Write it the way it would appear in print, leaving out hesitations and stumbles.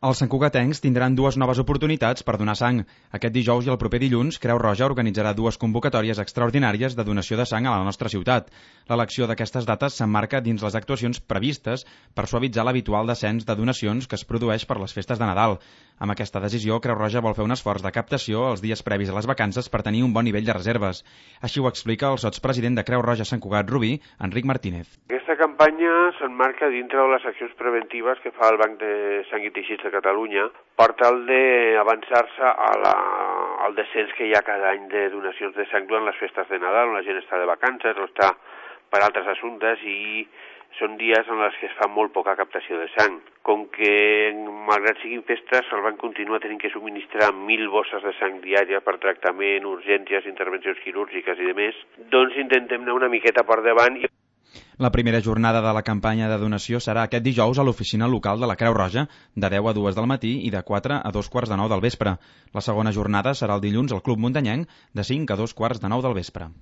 Els santcugatencs tindran dues noves oportunitats per donar sang. Aquest dijous i el proper dilluns, Creu Roja organitzarà dues convocatòries extraordinàries de donació de sang a la nostra ciutat. L'elecció d'aquestes dates s'emmarca dins les actuacions previstes per suavitzar l'habitual descens de donacions que es produeix per les festes de Nadal. Amb aquesta decisió, Creu Roja vol fer un esforç de captació els dies previs a les vacances per tenir un bon nivell de reserves. Així ho explica el sotspresident de Creu Roja Sant Cugat Rubí, Enric Martínez. Aquesta campanya s'emmarca dintre de les accions preventives que fa el Banc de Sang i Teixits de Catalunya per tal d'avançar-se al descens que hi ha cada any de donacions de sang durant les festes de Nadal, on la gent està de vacances o està per altres assumptes i són dies en els que es fa molt poca captació de sang. Com que, malgrat siguin festes, el banc continua tenint que subministrar 1.000 bosses de sang diària per tractament, urgències, intervencions quirúrgiques i demés, doncs intentem anar una miqueta per davant. La primera jornada de la campanya de donació serà aquest dijous a l'oficina local de la Creu Roja, de 10 a 2 del matí i de 4 a 2:15 del vespre. La segona jornada serà el dilluns al Club Muntanyenc, de 5 a 2:15 del vespre.